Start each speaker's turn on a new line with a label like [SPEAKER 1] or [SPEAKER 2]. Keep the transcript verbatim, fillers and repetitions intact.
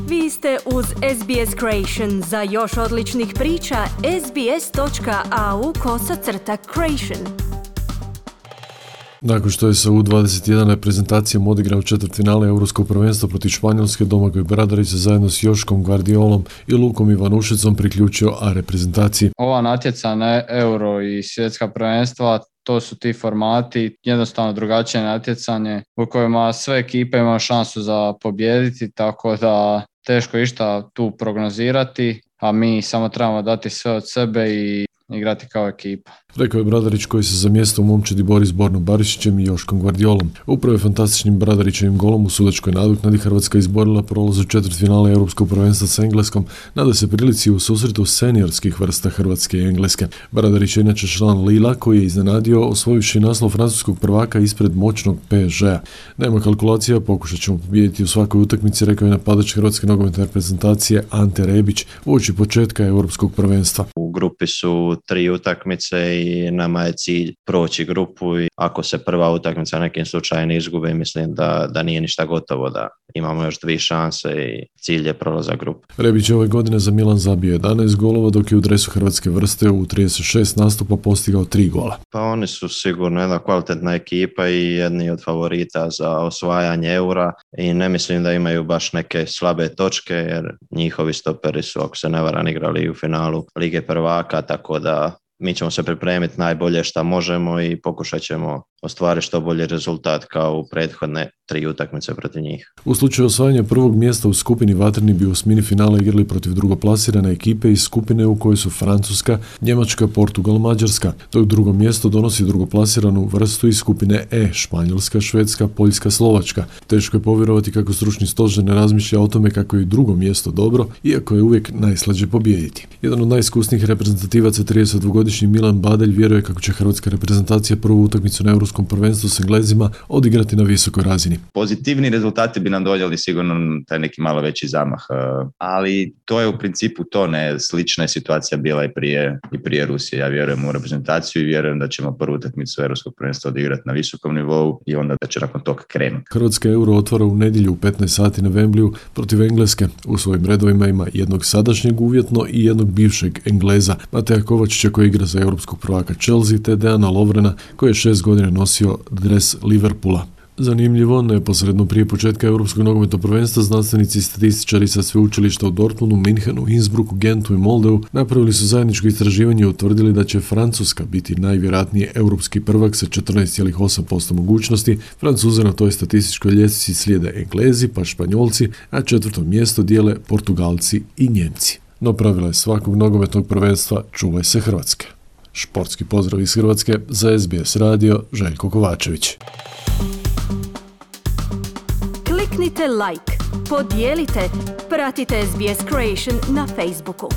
[SPEAKER 1] Vi ste uz S B S Creation. Za još odličnih priča, sbs.au kosacrta creation.
[SPEAKER 2] Nakon što je sa U dvadeset jedan reprezentacijom odigrao četvrtfinale Europskog prvenstva protiv Španjolske, Domagoj Bradarić se zajedno s Joškom Gvardiolom i Lukom Ivanušicom priključio A reprezentaciji.
[SPEAKER 3] Ova natjecanja Euro i svjetska prvenstva, to su ti formati, jednostavno drugačije natjecanje u kojima sve ekipe imaju šansu za pobijediti, tako da teško išta tu prognozirati, a mi samo trebamo dati sve od sebe i igrati kao ekipa.
[SPEAKER 2] Rekao je Bradarić koji se za mjesto u momčadi bori s Bornom Barišićem i Joškom Gvardiolom. Upravo je fantastičnim Bradarićevim golom u sudačkoj nadoknadi Hrvatska izborila prolaz u četvrtfinale Europskog prvenstva s Engleskom, nada se prilici u susretu seniorskih vrsta Hrvatske i Engleske. Bradarić je inače član Lila koji je iznenadio osvojivši naslov francuskog prvaka ispred moćnog P S G-a. Nema kalkulacija, pokušat ćemo pobijediti u svakoj utakmici, rekao je napadač Hrvatske nogometne reprezentacije Ante Rebić uoči početka Europskog prvenstva.
[SPEAKER 4] U grupi su tri utakmice i nama je cilj proći grupu i ako se prva utakmica nekim slučajem izgubi, mislim da, da nije ništa gotovo, da imamo još dvije šanse i cilj je prolazak grupu.
[SPEAKER 2] Rebić je ove godine za Milan zabio jedanaest golova, dok je u dresu Hrvatske vrste u trideset šest nastupa postigao tri gola.
[SPEAKER 4] Pa oni su sigurno jedna kvalitetna ekipa i jedni od favorita za osvajanje eura i ne mislim da imaju baš neke slabe točke jer njihovi stoperi su, ako se ne varam, igrali u finalu Lige prvaka, tako da mi ćemo se pripremiti najbolje što možemo i pokušat ćemo ostvariti što bolji rezultat kao u prethodne tri utakmice protiv njih.
[SPEAKER 2] U slučaju osvajanja prvog mjesta u skupini Vatreni bi u mini finale igrali protiv drugoplasirane ekipe iz skupine u kojoj su Francuska, Njemačka, Portugal, Mađarska, dok drugo mjesto donosi drugoplasiranu vrstu iz skupine E, Španjolska, Švedska, Poljska, Slovačka. Teško je povjerovati kako stručni stožer ne razmišlja o tome kako je drugo mjesto dobro, iako je uvijek najslađe pobijediti. Jedan od najiskusnijih reprezentativaca, tridesetdvogodišnji Milan Badelj, vjeruje kako će hrvatska reprezentacija prvu utakmicu na Europskom prvenstvu s Englezima odigrati na visokoj razini.
[SPEAKER 5] Pozitivni rezultati bi nam donijeli sigurno taj neki malo veći zamah, ali to je u principu to, ne, slična je situacija bila i prije, i prije Rusije. Ja vjerujem u reprezentaciju i vjerujem da ćemo prvu utakmicu Europskog prvenstva odigrati na visokom nivou i onda da će nakon toga krenuti.
[SPEAKER 2] Hrvatska Euro otvara u nedjelju u petnaest sati na Wembleyu protiv Engleske. U svojim redovima ima jednog sadašnjeg uvjetno i jednog bivšeg Engleza, Mateja Kovačića koji igra za europskog prvaka Chelsea, te Dejana Lovrena koji je šest godina nosio dres Liverpoola. Zanimljivo, neposredno prije početka Europskog nogometnog prvenstva znanstvenici i statističari sa sveučilišta u Dortmundu, Minhenu, Innsbrucku, Gentu i Moldeu napravili su zajedničko istraživanje i utvrdili da će Francuska biti najvjerojatnije europski prvak sa četrnaest zarez osam posto mogućnosti. Francuze na toj statističkoj ljestvici slijede Englezi pa Španjolci, a četvrto mjesto dijele Portugalci i Njemci. No pravila je svakog nogometnog prvenstva čuvaj se Hrvatske. Športski pozdrav iz Hrvatske za S B S radio, Željko Kovačević.
[SPEAKER 1] Kliknite like, podijelite, pratite S B S Creation na Facebooku.